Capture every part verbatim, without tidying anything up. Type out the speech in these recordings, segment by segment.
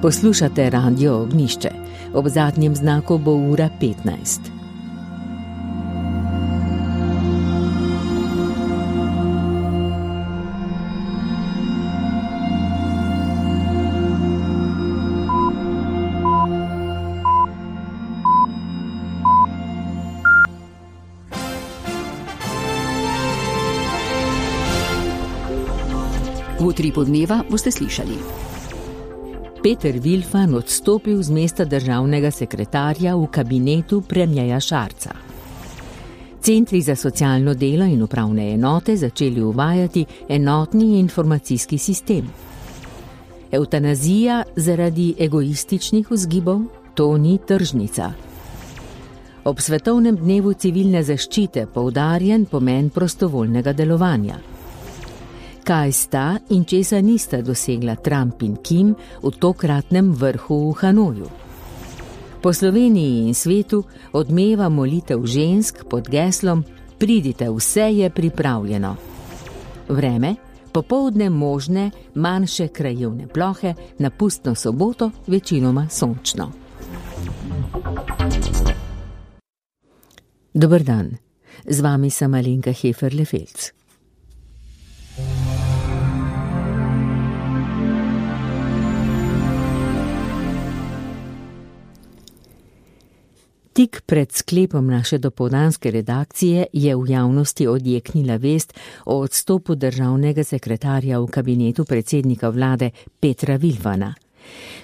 Poslušate Radio Ognjišče. Ob zadnjem znaku bo ura petnajst. V utripu dneva boste slišali. Peter Vilfan odstopil z mesta državnega sekretarja v kabinetu premierja Šarca. Centri za socialno delo in upravne enote začeli uvajati enotni informacijski sistem. Evtanazija zaradi egoističnih vzgibov, to ni tržnica. Ob svetovnem dnevu civilne zaščite poudarjen pomen prostovoljnega delovanja. Kaj sta in česa nista dosegla Trump in Kim v tokratnem vrhu v Hanoju? Po Sloveniji in svetu odmeva molitev žensk pod geslom Pridite, vse je pripravljeno. Vreme, popoldne možne manjše krajevne plohe, na pustno soboto večinoma sončno. Dober dan, z vami sem Alenka Heferle-Felc. Tik pred sklepom naše dopoldanske redakcije je v javnosti odjeknila vest o odstopu državnega sekretarja v kabinetu predsednika vlade Petra Vilfana.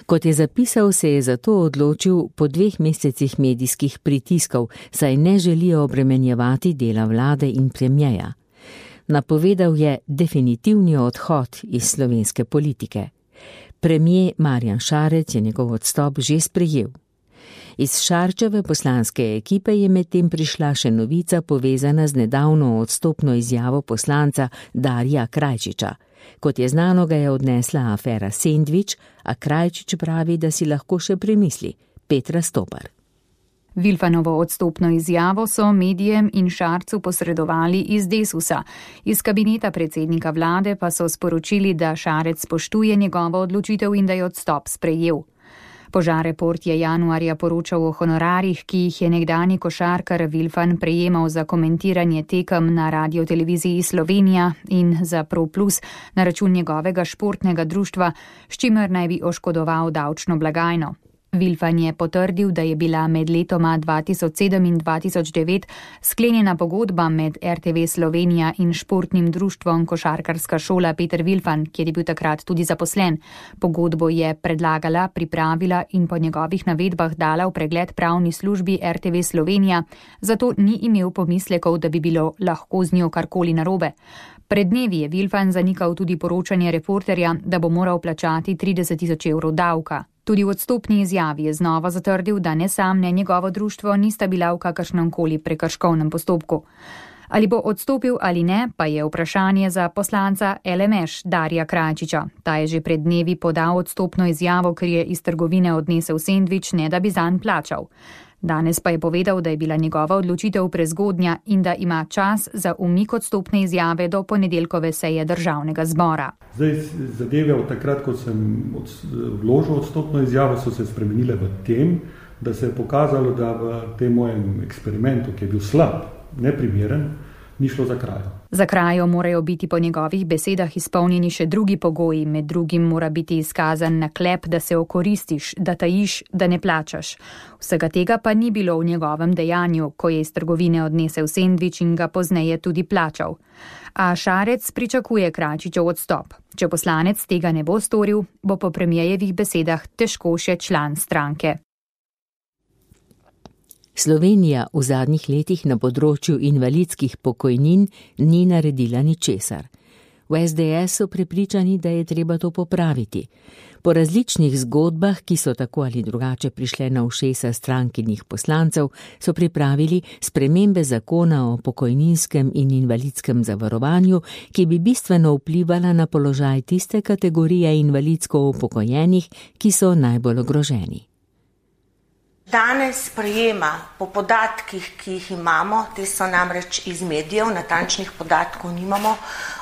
Kot je zapisal, se je zato odločil po dveh mesecih medijskih pritiskov, saj ne želijo obremenjevati dela vlade in premierja. Napovedal je definitivni odhod iz slovenske politike. Premier Marjan Šarec je njegov odstop že sprejel. Iz Šarčeve poslanske ekipe je medtem prišla še novica povezana z nedavno odstopno izjavo poslanca Darija Krajčiča. Kot je znano, ga je odnesla afera Sendvič, a Krajčič pravi, da si lahko še premisli. Petra Stopar. Vilfanovo odstopno izjavo so medijem in Šarcu posredovali iz Desusa. Iz kabineta predsednika vlade pa so sporočili, da Šarec spoštuje njegovo odločitev in da je odstop sprejel. Požareport je januarja poročal o honorarjih, ki jih je nekdanji košarkar Vilfan prejemal za komentiranje tekem na Radioteleviziji Slovenija in za Pro Plus na račun njegovega športnega društva, s čimer naj bi oškodoval davčno blagajno. Vilfan je potrdil, da je bila med letoma dva tisoč sedem in dva tisoč devet sklenjena pogodba med R T V Slovenija in športnim društvom Košarkarska šola Peter Vilfan, kjer je bil takrat tudi zaposlen. Pogodbo je predlagala, pripravila in po njegovih navedbah dala v pregled pravni službi R T V Slovenija, zato ni imel pomislekov, da bi bilo lahko z njo karkoli narobe. Pred dnevi je Vilfan zanikal tudi poročanje Reporterja, da bo moral plačati trideset tisoč evrov davka. Tudi v odstopni izjavi je znova zatrdil, da ne sam, ne njegovo društvo nista bila v kakršnem koli prekrškovnem postopku. Ali bo odstopil ali ne, pa je vprašanje za poslanca L M Š Darija Krajčiča. Ta je že pred dnevi podal odstopno izjavo, ker je iz trgovine odnesel sendvič, ne da bi zanj plačal. Danes pa je povedal, da je bila njegova odločitev prezgodnja in da ima čas za umik odstopne izjave do ponedeljkove seje državnega zbora. Zdaj, zadeve od takrat, ko sem vložil odstopno izjavo, so se spremenile v tem, da se je pokazalo, da v tem mojem eksperimentu, ki je bil slab, neprimeren, ni šlo za krajo. Za krajo morajo biti po njegovih besedah izpolnjeni še drugi pogoji, med drugim mora biti izkazan naklep, da se okoristiš, da tajiš, da ne plačaš. Vsega tega pa ni bilo v njegovem dejanju, ko je iz trgovine odnesel sendvič in ga pozneje tudi plačal. A Šarec pričakuje Krajčičev odstop. Če poslanec tega ne bo storil, bo po premierjevih besedah težko še član stranke. Slovenija v zadnjih letih na področju invalidskih pokojnin ni naredila ničesar. V S D S so prepričani, da je treba to popraviti. Po različnih zgodbah, ki so tako ali drugače prišle na ušesa strankinih poslancev, so pripravili spremembe zakona o pokojninskem in invalidskem zavarovanju, ki bi bistveno vplivala na položaj tiste kategorije invalidsko upokojenih, ki so najbolj ogroženi. Danes sprejema po podatkih, ki jih imamo, te so namreč iz medijev, natančnih podatkov nimamo,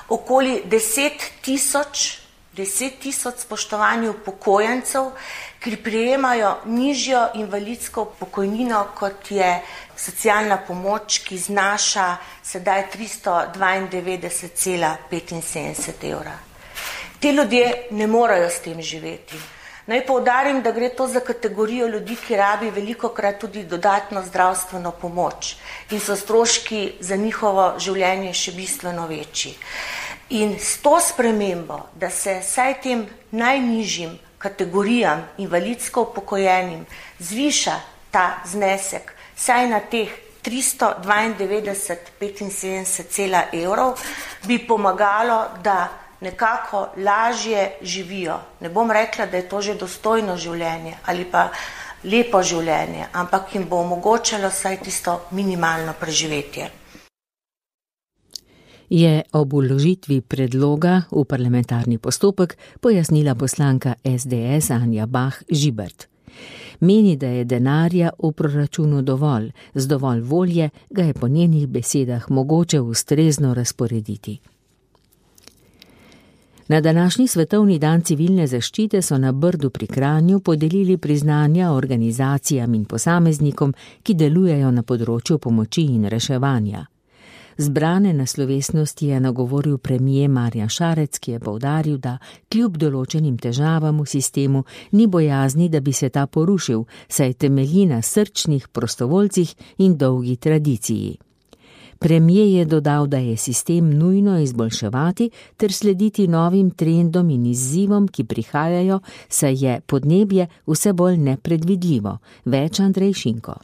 okoli deset tisoč deset tisoč spoštovanju upokojencev, ki prejemajo nižjo invalidsko pokojnino, kot je socialna pomoč, ki znaša sedaj tristo dvaindevetdeset cela petinsedemdeset evra. Ti ljudje ne morejo s tem živeti. Naj poudarim, da gre to za kategorijo ljudi, ki rabi velikokrat tudi dodatno zdravstveno pomoč in so stroški za njihovo življenje še bistveno večji. In s to spremembo, da se vsaj tem najnižjim kategorijam invalidsko upokojenim zviša ta znesek, saj na teh tristo dvaindevetdeset petinsedemdeset cela evrov, bi pomagalo, da nekako lažje živijo. Ne bom rekla, da je to že dostojno življenje ali pa lepo življenje, ampak jim bo omogočalo vsaj tisto minimalno preživetje. Je ob vložitvi predloga v parlamentarni postopek pojasnila poslanka es de es Anja Bah Žibert. Meni, da je denarja v proračunu dovolj, z dovolj volje ga je po njenih besedah mogoče ustrezno razporediti. Na današnji svetovni dan civilne zaščite so na Brdu pri Kranju podelili priznanja organizacijam in posameznikom, ki delujejo na področju pomoči in reševanja. Zbrane na slovesnosti je nagovoril premier Marjan Šarec, ki je poudaril, da kljub določenim težavam v sistemu ni bojazni, da bi se ta porušil, saj temelji na srčnih prostovoljcih in dolgi tradiciji. Premier je dodal, da je sistem nujno izboljševati ter slediti novim trendom in izzivom, ki prihajajo, saj je podnebje vse bolj nepredvidljivo. Več Andrej Šinko.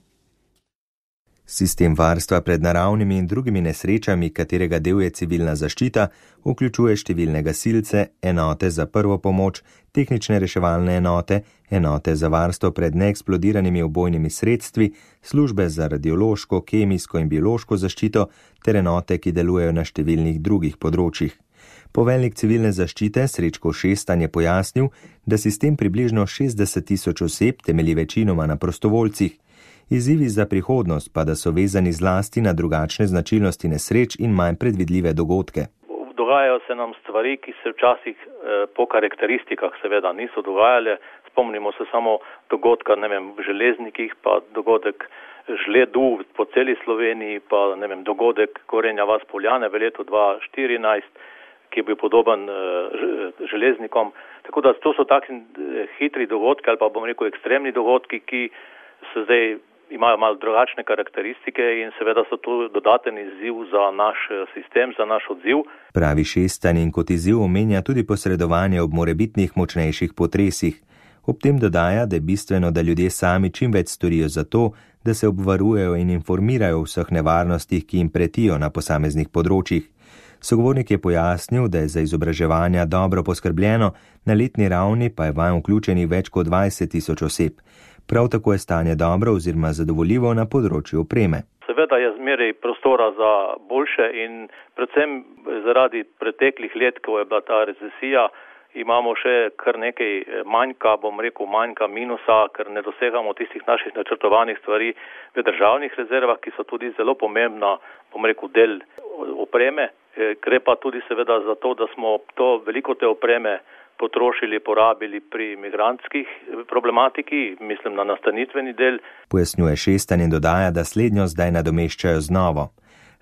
Sistem varstva pred naravnimi in drugimi nesrečami, katerega del je civilna zaščita, vključuje številne gasilce, enote za prvo pomoč, tehnične reševalne enote, enote za varstvo pred neeksplodiranimi ubojnimi sredstvi, službe za radiološko, kemijsko in biološko zaščito ter enote, ki delujejo na številnih drugih področjih. Poveljnik civilne zaščite Srečko Šestan je pojasnil, da sistem približno šestdeset tisoč oseb temelji večinoma na prostovoljcih. Izzivi za prihodnost pa da so vezani zlasti na drugačne značilnosti nesreč in manj predvidljive dogodke. Dogajajo se nam stvari, ki se včasih eh, po karakteristikah seveda niso dogajale. Spomnimo se samo dogodka, ne vem, v železnikih, pa dogodek žledu po celi Sloveniji, pa ne vem, dogodek Gorenja vas Poljane v letu dva tisoč štirinajst, ki je bil podoben eh, železnikom. Tako da to so takšni eh, hitri dogodki ali pa bom rekel ekstremni dogodki, ki se zdaj imajo malo drugačne karakteristike in seveda so tu dodaten izziv za naš sistem, za naš odziv. Pravi Šestan in kot izziv omenja tudi posredovanje ob morebitnih močnejših potresih. Ob tem dodaja, da je bistveno, da ljudje sami čim več storijo za to, da se obvarujejo in informirajo o vseh nevarnostih, ki jim pretijo na posameznih področjih. Sogovornik je pojasnil, da je za izobraževanja dobro poskrbljeno, na letni ravni pa je vanj vključenih več kot dvajset tisoč oseb. Prav tako je stanje dobro oziroma zadovoljivo na področju opreme. Seveda je zmeraj prostora za boljše in predvsem zaradi preteklih let, ko je bila ta recesija, imamo še kar nekaj manjka, bom rekel manjka minusa, ker ne dosegamo tistih naših načrtovanih stvari v državnih rezervah, ki so tudi zelo pomembna, bom rekel, del opreme. Gre pa tudi seveda za to, da smo to veliko te opreme potrošili, porabili pri migrantskih problematiki, mislim na nastanitveni del. Pojasnjuje Šestan in dodaja, da slednjo zdaj nadomeščajo z novo.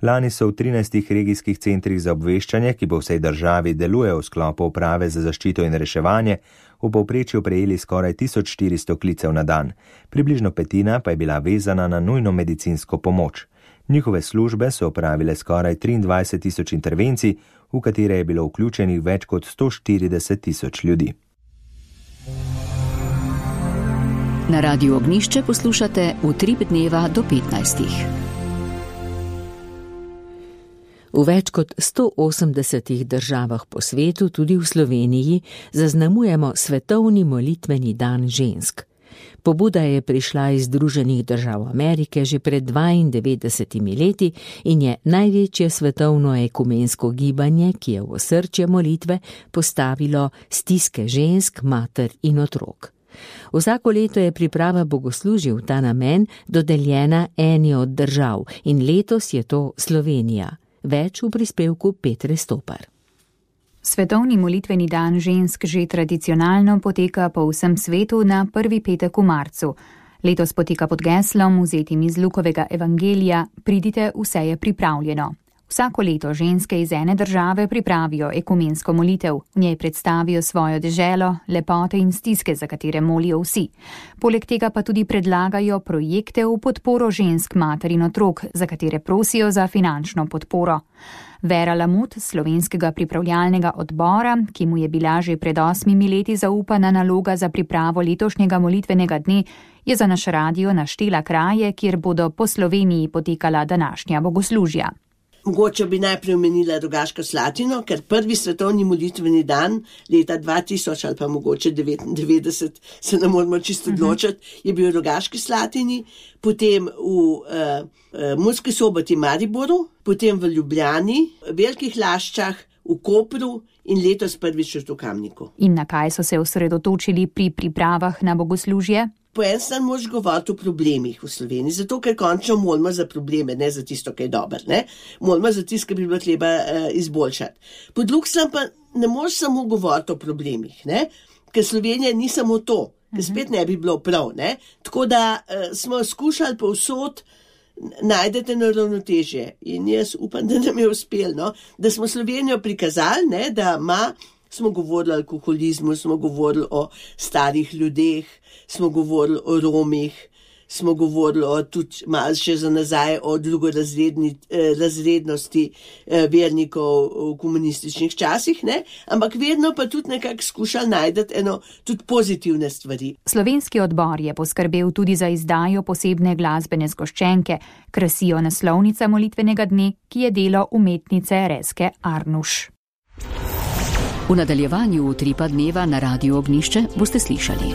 Lani so v trinajstih regijskih centrih za obveščanje, ki po vsej državi delujejo v sklopu uprave za zaščito in reševanje, v povprečju prejeli skoraj tisoč štiristo klicev na dan. Približno petina pa je bila vezana na nujno medicinsko pomoč. Njihove službe so opravile skoraj triindvajset tisoč intervencij, v katere je bilo vključenih več kot sto štirideset tisoč ljudi. Na Radiu Ognjišče poslušate Utrip dneva do petnajstih. V več kot sto osemdesetih državah po svetu, tudi v Sloveniji, zaznamujemo svetovni molitveni dan žensk. Pobuda je prišla iz Združenih držav Amerike že pred dvaindevetdesetimi leti in je največje svetovno ekumensko gibanje, ki je v osrčje molitve postavilo stiske žensk, mater in otrok. Vsako leto je priprava bogoslužij v ta namen dodeljena eni od držav in letos je to Slovenija. Več v prispevku Petre Stopar. Svetovni molitveni dan žensk že tradicionalno poteka po vsem svetu na prvi petek v marcu. Letos poteka pod geslom, vzetim iz Lukovega evangelija, pridite, vse je pripravljeno. Vsako leto ženske iz ene države pripravijo ekumensko molitev, v njej predstavijo svojo deželo, lepote in stiske, za katere molijo vsi. Poleg tega pa tudi predlagajo projekte v podporo žensk, mater in otrok, za katere prosijo za finančno podporo. Vera Lamut, slovenskega pripravljalnega odbora, ki mu je bila že pred osmimi leti zaupana naloga za pripravo letošnjega molitvenega dne, je za naš radio naštela kraje, kjer bodo po Sloveniji potekala današnja bogoslužja. Mogoče bi najprej omenila Rogaško Slatino, ker prvi svetovni molitveni dan leta dva tisoč ali pa mogoče devetindevetdeset, se ne moramo čisto odločiti, je bil v Rogaški Slatini, potem v uh, uh, Murski Soboti Mariboru, potem v Ljubljani, v Velikih Laščah, v Kopru in letos prvič v Kamniku. In na kaj so se osredotočili pri pripravah na bogoslužje? Po en stran moraš govoriti o problemih v Sloveniji, zato ker končno molimo za probleme, ne za tisto, kaj je dobro, ne? Molimo za tisto, kar bi bilo treba uh, izboljšati. Po drugi strani pa ne moreš samo govoriti o problemih, ne? Ker Slovenija ni samo to, ker spet ne bi bilo prav, ne? Tako da uh, smo skušali povsod najdete na ravnotežje in jaz upam, da nam je uspelo, no? Da smo Slovenijo prikazali, ne? Da ima, smo govorili o alkoholizmu, smo govorili o starih ljudeh, smo govorili o Romih, smo govorili o tudi malo še za nazaj o drugorazrednosti eh, vernikov v komunističnih časih, ne? Ampak vedno pa tudi nekako skušali najdeti eno tudi pozitivne stvari. Slovenski odbor je poskrbel tudi za izdajo posebne glasbene zgoščenke, krasijo naslovnica molitvenega dne, ki je delo umetnice Reske Arnuš. V nadaljevanju Utripa dneva na Radiu Ognjišče boste slišali.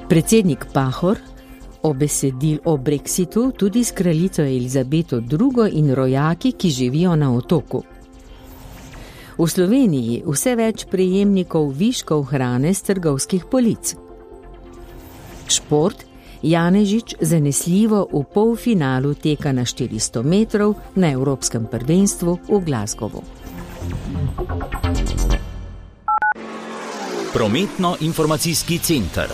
Predsednik Pahor obesedil o Brexitu tudi s kraljico Elizabeto drugo in rojaki, ki živijo na otoku. V Sloveniji vse več prejemnikov viškov hrane s trgovskih polic. Šport. Janežič zanesljivo v polfinalu teka na štiristo metrov na Evropskem prvenstvu v Glasgowu. Prometno-informacijski center.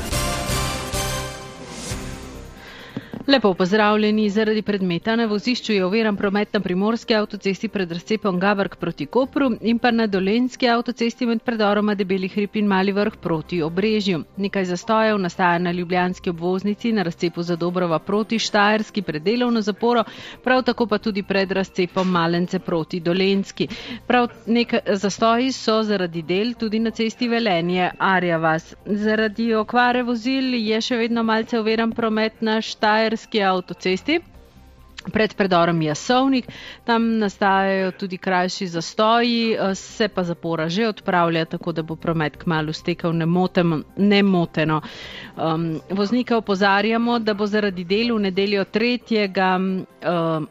Lepo pozdravljeni. Zaradi predmeta na vozišču je oviran promet na primorski avtocesti pred razcepom Gavrk proti Kopru in pa na dolenjski avtocesti med predoroma Debeli hrib in Mali vrh proti Obrežju. Nekaj zastojev nastaja na ljubljanski obvoznici na razcepu Zadobrova proti Štajerski pred delovno zaporo, prav tako pa tudi pred razcepom Malence proti Dolenjski. Prav nekaj zastoji so zaradi del tudi na cesti Velenje Arja vas. Zaradi okvare vozil je še vedno malce oviran promet na Štajerski avtocesti pred predorom Jasovnik. Tam nastajajo tudi krajši zastoji, se pa zapora že odpravlja, tako da bo promet kmalu stekel nemoteno. Um, voznike opozarjamo, da bo zaradi del v nedeljo tretjega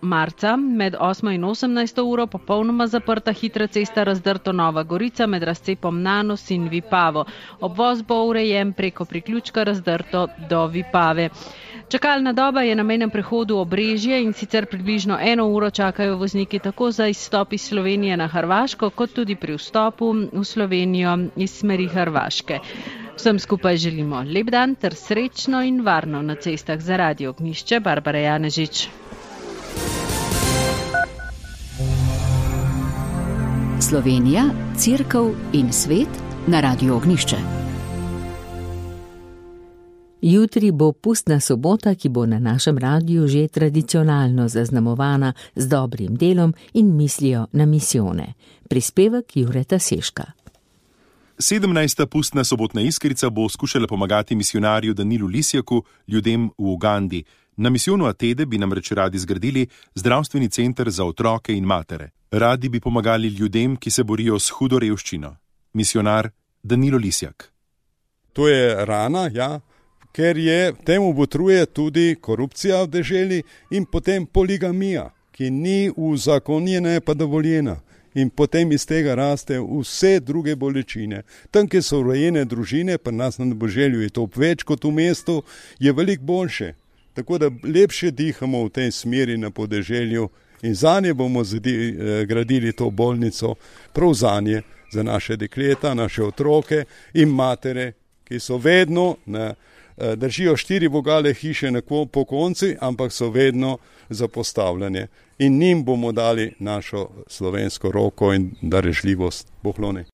marca med osmo in osemnajsto uro popolnoma zaprta hitra cesta Razdrto Nova Gorica med razcepom Nanos in Vipavo. Obvoz bo urejen preko priključka Razdrto do Vipave. Čakalna doba je na mejnem prehodu Obrežje in sicer približno eno uro čakajo vozniki tako za izstop iz Slovenije na Hrvaško, kot tudi pri vstopu v Slovenijo iz smeri Hrvaške. Vsem skupaj želimo lep dan ter srečno in varno na cestah. Za Radio Ognjišče, Barbara Janežič. Slovenija, Cerkev in svet na Radiu Ognjišče. Jutri bo pustna sobota, ki bo na našem radiju že tradicionalno zaznamovana z dobrim delom in mislijo na misijone. Prispevek Jureta Seška. sedemnajsta pustna sobotna iskrica bo skušala pomagati misijonarju Danilu Lisjaku, ljudem v Ugandi. Na misijonu Atede bi namreč radi zgradili zdravstveni center za otroke in matere. Radi bi pomagali ljudem, ki se borijo s hudo revščino. Misijonar Danilo Lisjak. To je rana, ja. Ker je temu botruje tudi korupcija v deželi in potem poligamija, ki ni uzakonjena, pa dovoljena. In potem iz tega raste vse druge bolečine. Tam, kjer so urejene družine, pa nas na Boželju je to več kot v mestu, je veliko boljše. Tako da lepše dihamo v tej smeri na podeželju In zanje bomo zdi, gradili to bolnico, prav zanje, za naše dekleta, naše otroke in matere, ki so vedno, ne, držijo štiri vogale hiše po konci, ampak so vedno zapostavljene. In njim bomo dali našo slovensko roko in darežljivost. Bohlone.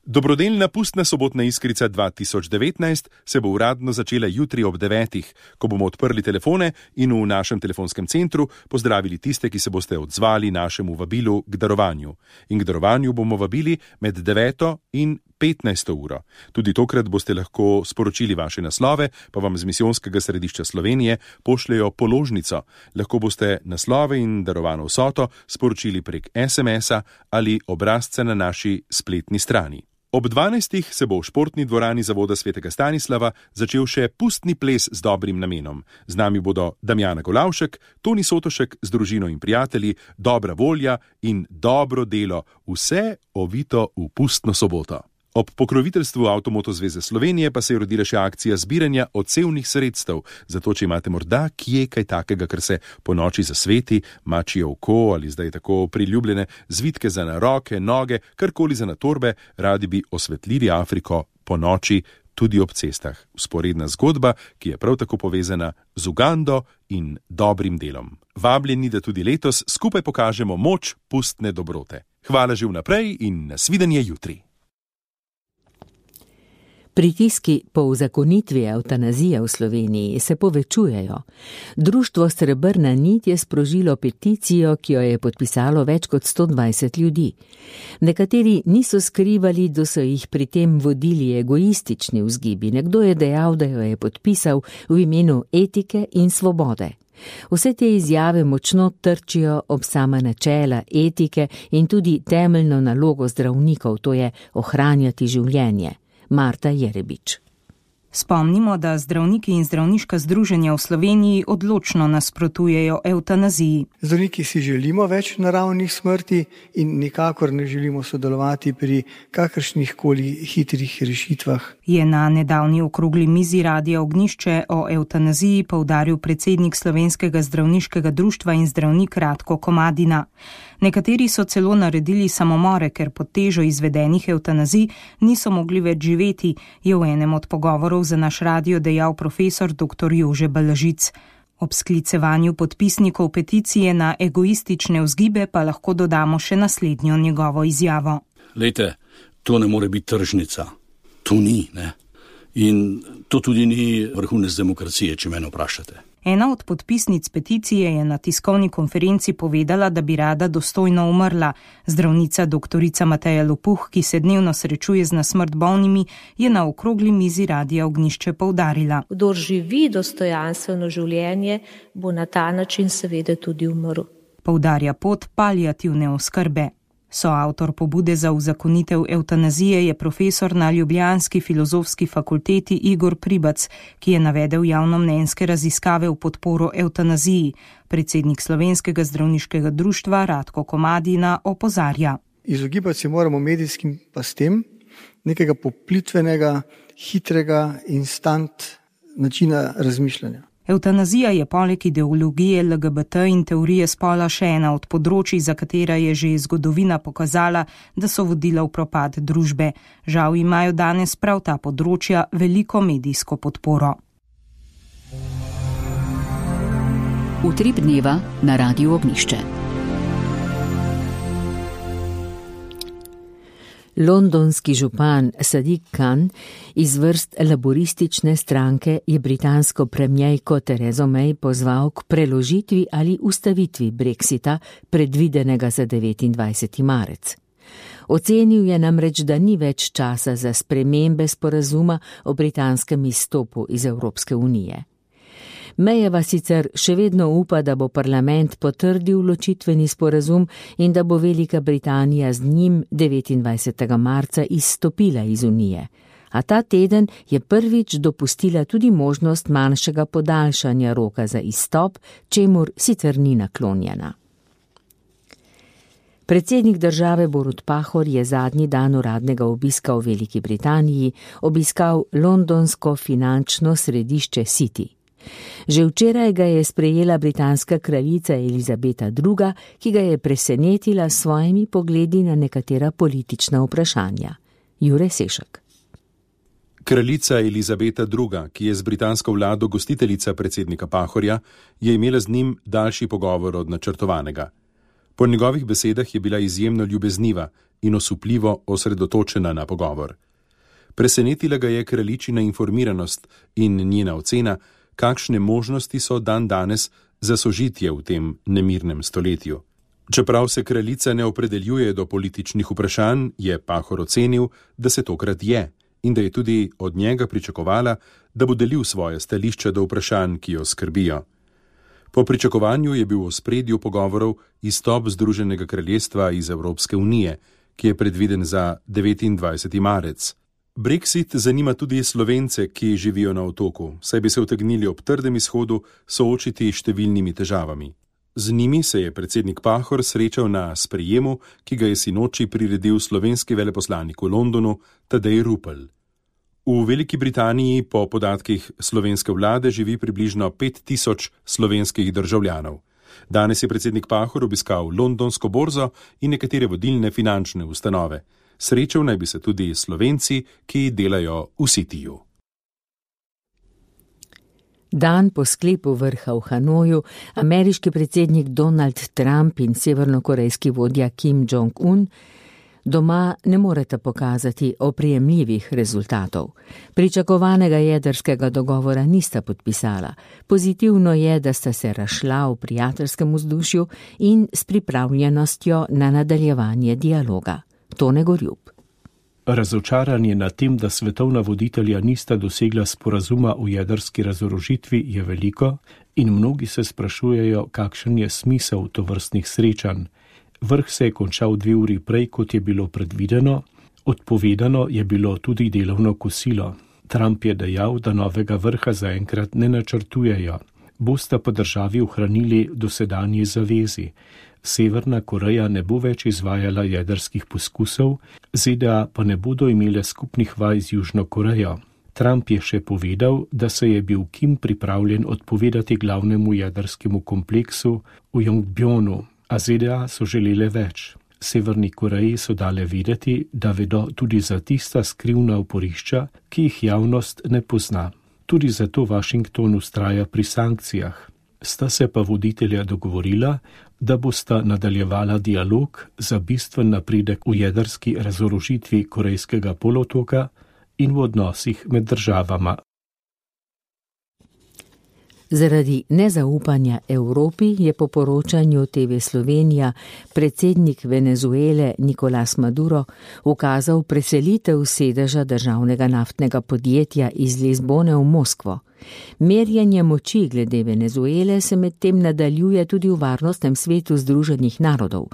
Dobrodelna pustna sobotna iskrica dva tisoč devetnajst se bo uradno začela jutri ob devetih, ko bomo odprli telefone in v našem telefonskem centru pozdravili tiste, ki se boste odzvali našemu vabilu k darovanju. In k darovanju bomo vabili med deveto in petnajsto uro. Tudi tokrat boste lahko sporočili vaše naslove, pa vam z Misijonskega središča Slovenije pošljejo položnico. Lahko boste naslove in darovano vsoto sporočili prek es em es-a ali obrazca na naši spletni strani. Ob dvanajstih se bo v športni dvorani Zavoda svetega Stanislava začel še pustni ples z dobrim namenom. Z nami bodo Damjana Golavšek, Toni Sotošek z družino in prijatelji, dobra volja in dobro delo, vse ovito v pustno soboto. Ob pokroviteljstvu Avtomoto zveze Slovenije pa se je rodila še akcija zbiranja odsevnih sredstev, zato če imate morda kje kaj takega, kar se po noči zasveti, mačje oko ali zdaj tako priljubljene zvitke za na roke, noge, karkoli za na torbe, radi bi osvetlili Afriko po noči tudi ob cestah. Vzporedna zgodba, ki je prav tako povezana z Ugando in dobrim delom. Vabljeni, da tudi letos skupaj pokažemo moč pustne dobrote. Hvala že vnaprej in nasvidenje jutri. Pritiski po uzakonitvi evtanazije v Sloveniji se povečujejo. Društvo Srebrna nit je sprožilo peticijo, ki jo je podpisalo več kot sto dvajset ljudi. Nekateri niso skrivali, da so jih pri tem vodili egoistični vzgibi. Nekdo je dejal, da jo je podpisal v imenu etike in svobode. Vse te izjave močno trčijo ob sama načela etike in tudi temeljno nalogo zdravnikov, to je ohranjati življenje. Marta Jerebič. Spomnimo, da zdravniki in zdravniška združenja v Sloveniji odločno nasprotujejo evtanaziji. Zdravniki si želimo več naravnih smrti in nikakor ne želimo sodelovati pri kakršnih koli hitrih rešitvah. Je na nedavni okrogli mizi Radia Ognjišče o evtanaziji poudaril predsednik Slovenskega zdravniškega društva in zdravnik Ratko Komadina. Nekateri so celo naredili samomore, ker pod težo izvedenih evtanazij niso mogli več živeti, je v enem od pogovorov za naš radio dejal profesor doktor Jože Balažic. Ob sklicevanju podpisnikov peticije na egoistične vzgibe pa lahko dodamo še naslednjo njegovo izjavo. Lejte, to ne more biti tržnica. To ni, ne? In to tudi ni vrhunec demokracije, če mene vprašate. Ena od podpisnic peticije je na tiskovni konferenci povedala, da bi rada dostojno umrla. Zdravnica doktorica Mateja Lopuh, ki se dnevno srečuje z na smrt bolnimi, je na okrogli mizi Radia Ognjišče poudarila. Kdor živi dostojanstveno življenje, bo na ta način seveda tudi umrl. Poudarja pot paliativne oskrbe. Soavtor pobude za uzakonitev evtanazije je profesor na ljubljanski filozofski fakulteti Igor Pribac, ki je navedel javnomnenjske raziskave v podporo evtanaziji. Predsednik Slovenskega zdravniškega društva Ratko Komadina opozarja. Izogibati se moramo medijskim pastem, nekega poplitvenega, hitrega, instant načina razmišljanja. Evtanazija je poleg ideologije el ge be te in teorije spola še ena od področij, za katera je že zgodovina pokazala, da so vodila v propad družbe. Žal imajo danes prav ta področja veliko medijsko podporo. Utrip dneva na Radiu Ognjišče. Londonski župan Sadiq Khan iz vrst laboristične stranke je britansko premierko Terezo May pozval k preložitvi ali ustavitvi Brexita, predvidenega za devetindvajseti marec. Ocenil je namreč, da ni več časa za spremembe sporazuma o britanskem izstopu iz Evropske unije. Mayjeva sicer še vedno upa, da bo parlament potrdil ločitveni sporazum in da bo Velika Britanija z njim devetindvajsetega marca izstopila iz unije. A ta teden je prvič dopustila tudi možnost manjšega podaljšanja roka za izstop, čemur sicer ni naklonjena. Predsednik države Borut Pahor je zadnji dan uradnega obiska v Veliki Britaniji obiskal londonsko finančno središče City. Že včeraj ga je sprejela britanska kraljica Elizabeta druga, ki ga je presenetila s svojimi pogledi na nekatera politična vprašanja. Jure Sešek. Kraljica Elizabeta druga, ki je z britansko vlado gostiteljica predsednika Pahorja, je imela z njim daljši pogovor od načrtovanega. Po njegovih besedah je bila izjemno ljubezniva in osupljivo osredotočena na pogovor. Presenetila ga je kraljičina informiranost in njena ocena, kakšne možnosti so dan danes za sožitje v tem nemirnem stoletju. Čeprav se kraljica ne opredeljuje do političnih vprašanj, je Pahor ocenil, da se tokrat je in da je tudi od njega pričakovala, da bo delil svoje stališča do vprašanj, ki jo skrbijo. Po pričakovanju je bil v ospredju pogovorov izstop Združenega kraljestva iz Evropske unije, ki je predviden za devetindvajseti marec. Brexit zanima tudi Slovence, ki živijo na otoku, saj bi se utegnili ob trdem izhodu soočiti številnimi težavami. Z njimi se je predsednik Pahor srečal na sprejemu, ki ga je sinoči priredil slovenski veleposlanik v Londonu Tadej Rupel. V Veliki Britaniji po podatkih slovenske vlade živi približno pet tisoč slovenskih državljanov. Danes je predsednik Pahor obiskal londonsko borzo in nekatere vodilne finančne ustanove. Srečal naj bi se tudi Slovenci, ki delajo v Cityju. Dan po sklepu vrha v Hanoju ameriški predsednik Donald Trump in severnokorejski vodja Kim Jong-un doma ne moreta pokazati oprijemljivih rezultatov. Pričakovanega jedrskega dogovora nista podpisala. Pozitivno je, da sta se razšla v prijateljskem vzdušju in s pripravljenostjo na nadaljevanje dialoga. Tone Gorjup. Razočaranje nad tem, da svetovna voditelja nista dosegla sporazuma o jedrski razorožitvi, je veliko in mnogi se sprašujejo, kakšen je smisel tovrstnih srečanj. Vrh se je končal dve uri prej, kot je bilo predvideno, odpovedano je bilo tudi delovno kosilo. Trump je dejal, da novega vrha zaenkrat ne načrtujejo. Bosta pa državi ohranili dosedanji zavezi. Severna Koreja ne bo več izvajala jedrskih poskusov, Z D A pa ne bodo imele skupnih vaj z Južno Korejo. Trump je še povedal, da se je bil Kim pripravljen odpovedati glavnemu jedrskemu kompleksu v Yongbjonu, a Z D A so želele več. Severni Koreji so dale vedeti, da vedo tudi za tista skrivna oporišča, ki jih javnost ne pozna. Tudi zato Washington ustraja pri sankcijah. Sta se pa voditelja dogovorila, da bosta nadaljevala dialog za bistven napredek v jedrski razorožitvi Korejskega polotoka in v odnosih med državama. Zaradi nezaupanja Evropi je po poročanju T V Slovenija predsednik Venezuele Nicolás Maduro ukazal preselitev sedeža državnega naftnega podjetja iz Lizbone v Moskvo. Merjenje moči glede Venezuele se medtem nadaljuje tudi v Varnostnem svetu Združenih narodov.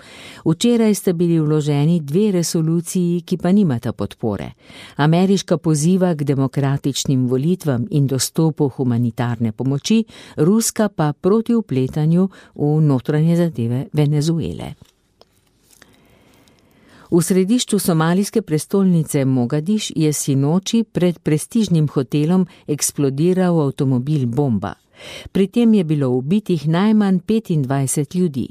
Včeraj sta bili vloženi dve resoluciji, ki pa nimata podpore. Ameriška poziva k demokratičnim volitvam in dostopu humanitarne pomoči, ruska pa proti vpletanju v notranje zadeve Venezuele. V središču somalijske prestolnice Mogadiš je sinoči pred prestižnim hotelom eksplodiral avtomobil bomba. Pri tem je bilo ubitih najmanj petindvajset ljudi.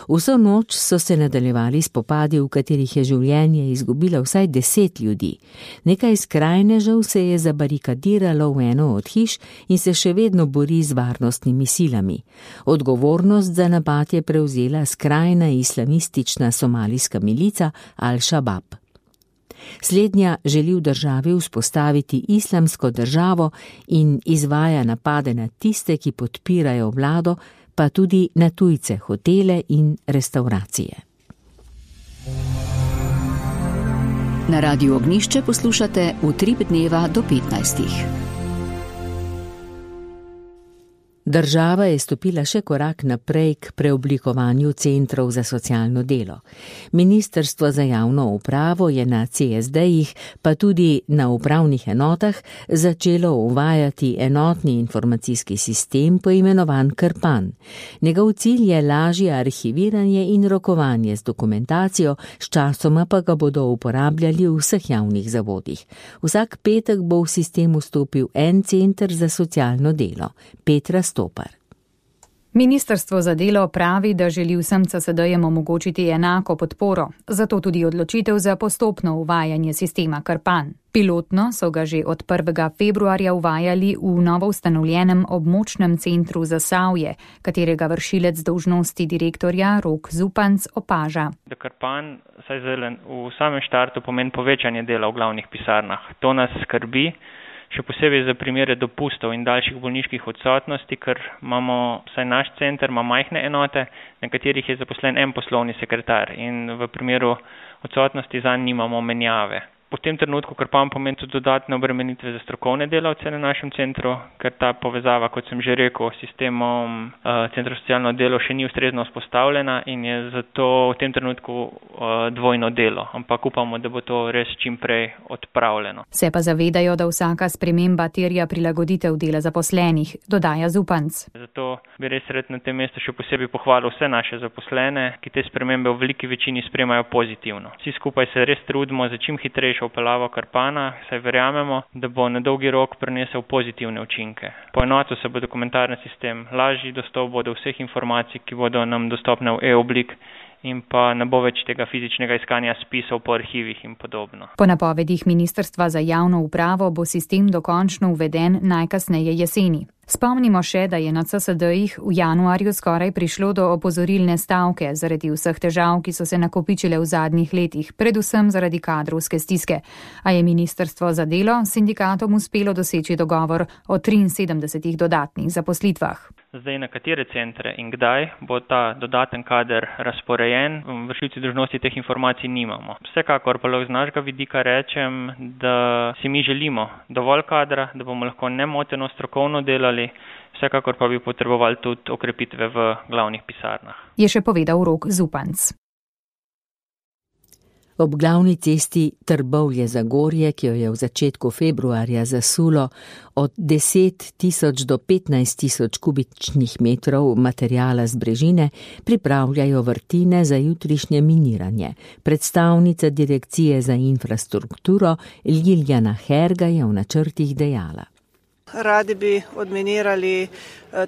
Vso noč so se nadaljevali spopadi, v katerih je življenje izgubilo vsaj deset ljudi. Nekaj skrajnežev se je zabarikadiralo v eno od hiš in se še vedno bori z varnostnimi silami. Odgovornost za napad je prevzela skrajna islamistična somalijska milica Al-Shabaab. Slednja želi v državi vzpostaviti islamsko državo in izvaja napade na tiste, ki podpirajo vlado, pa tudi na tujce, hotele in restauracije. Na Radiu Ognišče poslušate Utrip dneva do petnajstih. Država je stopila še korak naprej k preoblikovanju centrov za socialno delo. Ministrstvo za javno upravo je na C S D-jih, pa tudi na upravnih enotah, začelo uvajati enotni informacijski sistem poimenovan Krpan. Njegov cilj je lažje arhiviranje in rokovanje z dokumentacijo, sčasoma pa ga bodo uporabljali v vseh javnih zavodih. Vsak petek bo v sistem vstopil en center za socialno delo. Petra Stopar. Ministrstvo za delo pravi, da želi vsem C S D-jem omogočiti enako podporo, zato tudi odločitev za postopno uvajanje sistema Krpan. Pilotno so ga že od prvega februarja uvajali v novo ustanovljenem območnem centru Zasavje, katerega vršilec dolžnosti direktorja Rok Zupanc opaža. Da Krpan saj zelen v samem štartu pomeni povečanje dela v glavnih pisarnah. To nas skrbi. Še posebej za primere dopustov in daljših bolniških odsotnosti, ker imamo, vsaj naš center ima majhne enote, na katerih je zaposlen en poslovni sekretar in v primeru odsotnosti zanj nimamo menjave. V tem trenutku Krpan pomeni tudi dodatne obremenitve za strokovne delavce na našem centru, ker ta povezava, kot sem že rekel, s sistemom uh, centra socialno delo še ni ustrezno vzpostavljena in je zato v tem trenutku uh, dvojno delo, ampak upamo, da bo to res čim prej odpravljeno. Se pa zavedajo, da vsaka sprememba terja prilagoditev dela zaposlenih, dodaja Zupanc. Zato bi res rad na tem mestu še posebej pohvalil vse naše zaposlene, ki te spremembe v veliki večini spremajo pozitivno. Vsi skupaj se res trudimo za čim hitrejšo upeljavo Krpana, saj verjamemo, da bo na dolgi rok prinesel pozitivne učinke. Poenotil se bo dokumentarni sistem, lažji dostop bo do vseh informacij, ki bodo nam dostopne v e-oblik in pa ne bo več tega fizičnega iskanja spisov po arhivih in podobno. Po napovedih Ministrstva za javno upravo bo sistem dokončno uveden najkasneje jeseni. Spomnimo še, da je na C S D-jih v januarju skoraj prišlo do opozorilne stavke zaradi vseh težav, ki so se nakopičile v zadnjih letih, predvsem zaradi kadrovske stiske. A je Ministrstvo za delo sindikatom uspelo doseči dogovor o triinsedemdesetih dodatnih zaposlitvah. Zdaj, na katere centre in kdaj bo ta dodaten kader razporejen, vršilci dolžnosti teh informacij nimamo. Vsekakor pa lahko z našega vidika rečem, da si mi želimo dovolj kadra, da bomo lahko nemoteno strokovno delali, vsekakor pa bi potrebovali tudi okrepitve v glavnih pisarnah. Je še povedal Rok Zupanc. Ob glavni cesti Trbovlje-Zagorje, ki jo je v začetku februarja zasulo od deset tisoč do petnajst tisoč kubičnih metrov materijala z brežine, pripravljajo vrtine za jutrišnje miniranje. Predstavnica Direkcije za infrastrukturo Ljiljana Herga je v načrtih dejala. Radi bi odminirali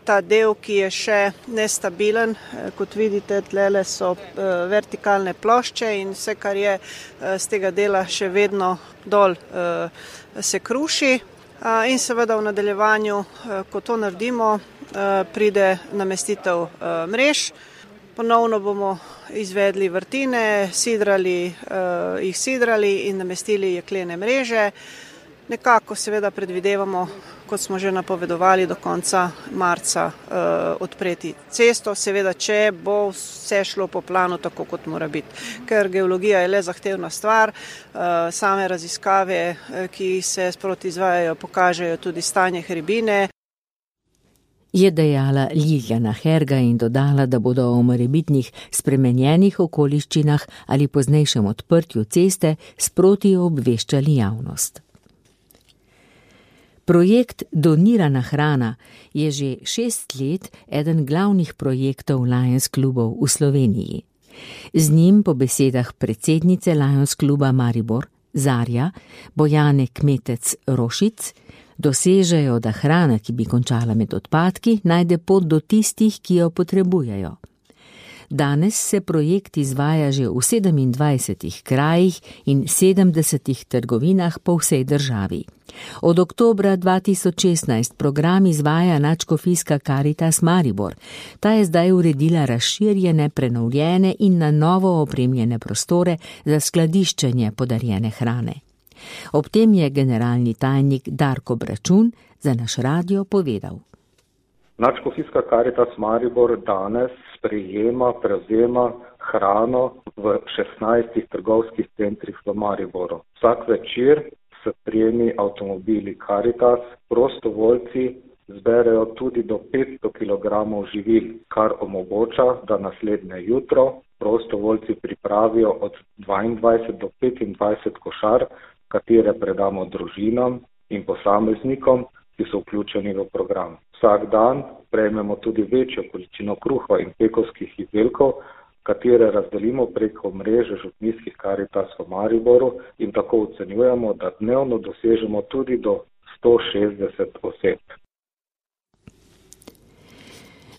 ta del, ki je še nestabilen. Kot vidite, tlele so vertikalne plošče in vse, kar je z tega dela še vedno dol, se kruši. In seveda v nadaljevanju, ko to naredimo, pride namestitev mrež. Ponovno bomo izvedli vrtine, sidrali, jih sidrali in namestili jeklene mreže. Nekako seveda predvidevamo, kot smo že napovedovali, do konca marca uh, odpreti cesto, seveda, če bo vse šlo po planu tako, kot mora biti. Ker geologija je le zahtevna stvar, uh, same raziskave, ki se sproti izvajajo, pokažejo tudi stanje hribine. Je dejala Ljiljana Herga in dodala, da bodo o morebitnih spremenjenih okoliščinah ali poznejšem odprtju ceste sproti obveščali javnost. Projekt Donirana hrana je že šest let eden glavnih projektov Lions klubov v Sloveniji. Z njim po besedah predsednice Lions kluba Maribor, Zarja Bojane Kmetec-Rošic, dosežejo, da hrana, ki bi končala med odpadki, najde pot do tistih, ki jo potrebujejo. Danes se projekt izvaja že v sedemindvajsetih krajih in sedemdesetih trgovinah po vsej državi. Od oktobra dva tisoč šestnajst program izvaja Nadškofijska Karitas Maribor. Ta je zdaj uredila razširjene, prenovljene in na novo opremljene prostore za skladiščenje podarjene hrane. Ob tem je generalni tajnik Darko Bračun za naš radio povedal. Nadškofijska Karitas Maribor danes sprejema, prevzema hrano v šestnajstih trgovskih centrih v Mariboru. Vsak večer s prijemi avtomobili Karitas prostovoljci Zberejo tudi do petsto kilogramov živil, kar omogoča, da naslednje jutro prostovoljci pripravijo od dvaindvajset do petindvajset košar, katere predamo družinam in posameznikom, ki so vključeni v program. Vsak dan prejmemo tudi večjo količino kruha in pekovskih izdelkov, katere razdelimo preko mreže župnijskih Karitas v Mariboru in tako ocenjujemo, da dnevno dosežemo tudi do sto šestdeset oseb.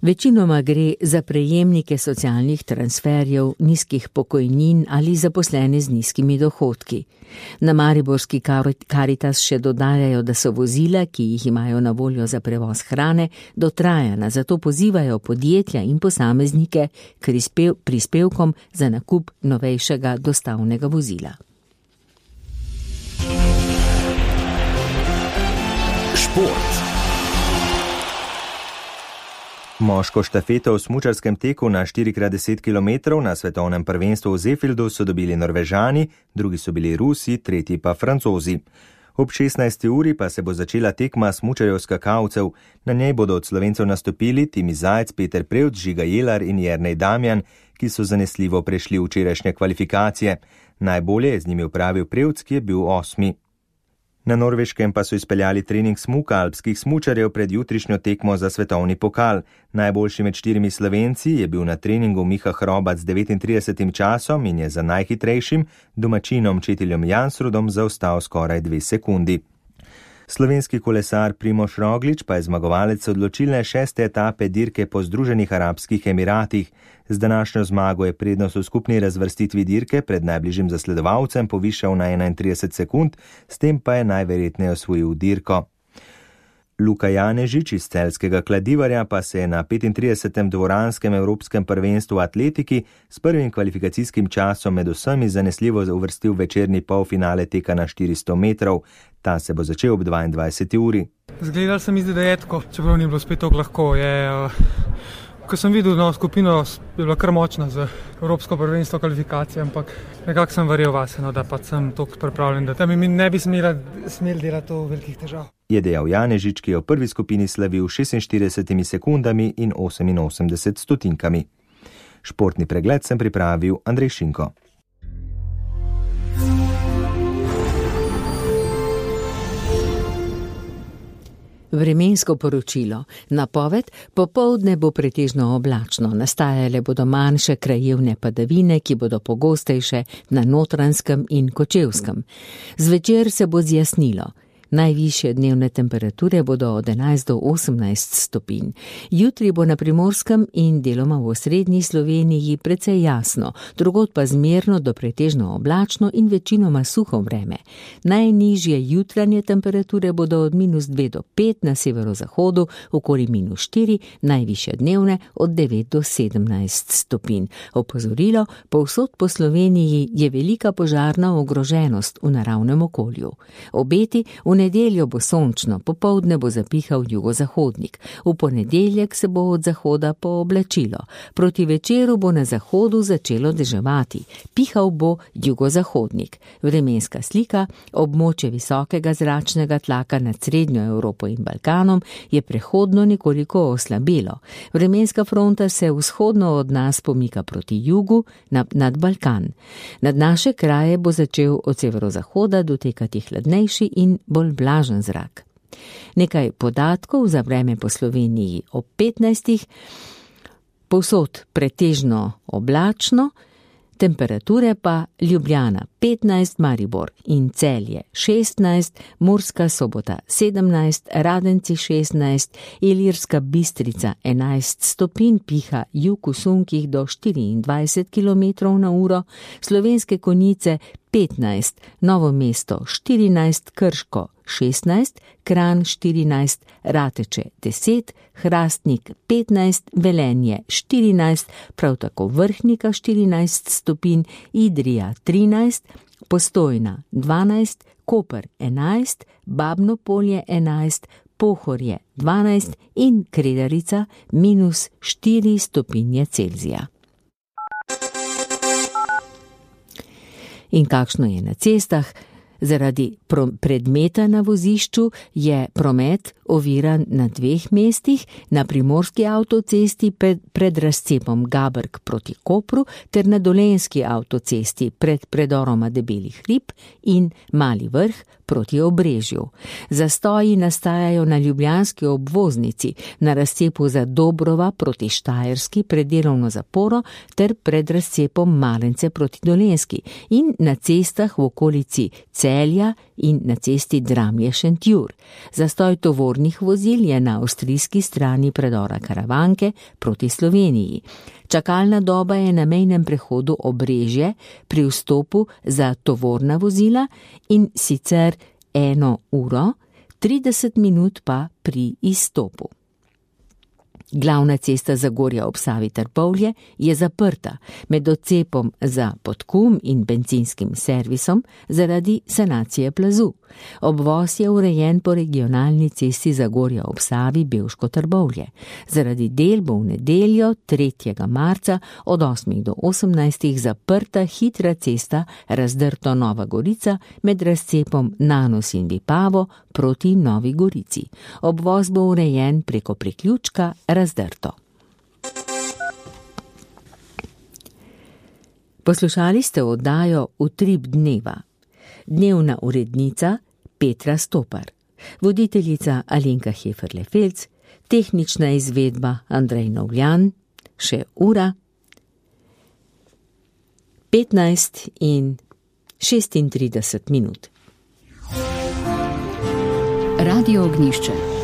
Večinoma gre za prejemnike socialnih transferjev, nizkih pokojnin ali zaposlene z nizkimi dohodki. Na mariborski Karitas še dodajajo, da so vozila, ki jih imajo na voljo za prevoz hrane, dotrajana, zato pozivajo podjetja in posameznike k prispevkom za nakup novejšega dostavnega vozila. Šport. Moško štafeto v smučarskem teku na štiri krat deset kilometrov na svetovnem prvenstvu v Zefildu so dobili Norvežani, drugi so bili Rusi, tretji pa Francozi. Ob šestnajsti uri pa se bo začela tekma smučarjev skakalcev. Na njej bodo od Slovencev nastopili Timi Zajec, Peter Prevc, Žiga Jelar in Jernej Damjan, ki so zanesljivo prešli včerajšnje kvalifikacije. Najbolje je z njimi upravil Prevc, ki je bil osmi. Na Norveškem pa so izpeljali trening smuka alpskih smučarjev pred jutrišnjo tekmo za svetovni pokal. Najboljši med štirimi Slovenci je bil na treningu Miha Hrobac z devetintridesetim časom in je za najhitrejšim domačinom Četiljem Jansrudom zaostal skoraj dve sekundi. Slovenski kolesar Primož Roglič pa je zmagovalec odločilne šeste etape dirke po Združenih arabskih Emiratih. Z današnjo zmago je prednost v skupni razvrstitvi dirke pred najbližjim zasledovalcem povišal na enaintrideset sekund, s tem pa je najverjetneje osvojil dirko. Luka Janežič iz celjskega Kladivarja pa se je na petintridesetem dvoranskem evropskem prvenstvu v atletiki s prvim kvalifikacijskim časom med vsemi zanesljivo uvrstil večerni polfinale teka na štiristo metrov. Ta se bo začel ob dvaindvajseti uri. Zgledal se mi zdi, da je tako, čeprav ni bilo spet tako lahko. Je, uh, ko sem videl no, skupino, je bila kar močna za evropsko prvenstvo kvalifikacije, ampak nekako sem verjel vase, no, da pa sem toliko pripravljen, da mi ne bi smeli, smeli delati to velikih težav. Je dejal Janežič, ki je v prvi skupini slavil šestinštiridesetimi sekundami in oseminosemdeset stotinkami. Športni pregled sem pripravil Andrej Šinko. Vremensko poročilo. Napoved: popoldne bo pretežno oblačno, nastajale bodo manjše krajevne padavine, ki bodo pogostejše na Notranjskem in Kočevskem. Zvečer se bo zjasnilo. Najvišje dnevne temperature bodo od enajst do osemnajst stopinj. Jutri bo na Primorskem in deloma v osrednji Sloveniji precej jasno, drugod pa zmerno do pretežno oblačno in večinoma suho vreme. Najnižje jutranje temperature bodo od minus dve do pet na severozahodu, okoli minus štiri, najvišje dnevne od devet do sedemnajst stopinj. Opozorilo: povsod po Sloveniji je velika požarna ogroženost v naravnem okolju. Obeti: v nedeljo bo sončno, popoldne bo zapihal jugozahodnik. V ponedeljek se bo od zahoda pooblačilo. Proti večeru bo na zahodu začelo deževati. Pihal bo jugozahodnik. Vremenska slika: območje visokega zračnega tlaka nad srednjo Evropo in Balkanom je prehodno nekoliko oslabelo. Vremenska fronta se vzhodno od nas pomika proti jugu nad Balkan. Nad naše kraje bo začel od severozahoda dotekati hladnejši in bolj blažen zrak. Nekaj podatkov za vreme po Sloveniji ob petnajstih. Povsod pretežno oblačno, temperature pa: Ljubljana petnajst, Maribor in Celje šestnajst, Murska Sobota sedemnajst, Radenci šestnajst, Ilirska Bistrica enajst stopinj, piha jug v sunkih do štiriindvajset kilometrov na uro, Slovenske Konjice petnajst, Novo mesto štirinajst, Krško šestnajst, Kranj štirinajst, Rateče deset, Hrastnik petnajst, Velenje štirinajst, prav tako Vrhnika štirinajst stopinj, Idrija trinajst, Postojna dvanajst, Koper enajst, Babno Polje enajst, Pohorje dvanajst in Kredarica minus štiri stopinje Celzija. In kakšno je na cestah? Zaradi predmeta na vozišču je promet oviran na dveh mestih, na primorski avtocesti pred, pred razcepom Gaberg proti Kopru ter na dolenjski avtocesti pred predoroma Debelih hrib in Mali vrh proti Obrežju. Zastoji nastajajo na ljubljanski obvoznici, na razcepu za Dobrova proti Štajerski pred delovno zaporo ter pred razcepom Malence proti Dolenjski in na cestah v okolici Celja in na cesti Dramlje-Šentjur. Zastoj tovornih vozil je na avstrijski strani predora Karavanke proti Sloveniji. Čakalna doba je na mejnem prehodu Obrežje pri vstopu za tovorna vozila in sicer eno uro, trideset minut pa pri izstopu. Glavna cesta Zagorja ob Savi Trbovlje je zaprta med odcepom za Podkum in bencinskim servisom zaradi sanacije plazu. Obvoz je urejen po regionalni cesti Zagorja ob Savi Bevško Trbovlje. Zaradi del bo v nedeljo tretjega marca od osmih do osemnajstih zaprta hitra cesta Razdrto Nova Gorica med razcepom Nanos in Vipavo proti Novi Gorici. Obvoz bo urejen preko priključka Razdrto. Poslušali ste oddajo Utrip dneva. Dnevna urednica Petra Stopar, voditeljica Alenka Heferle-Felc, tehnična izvedba Andrej Novljan, še ura petnajst in šestintrideset minut. Radio Ognjišče.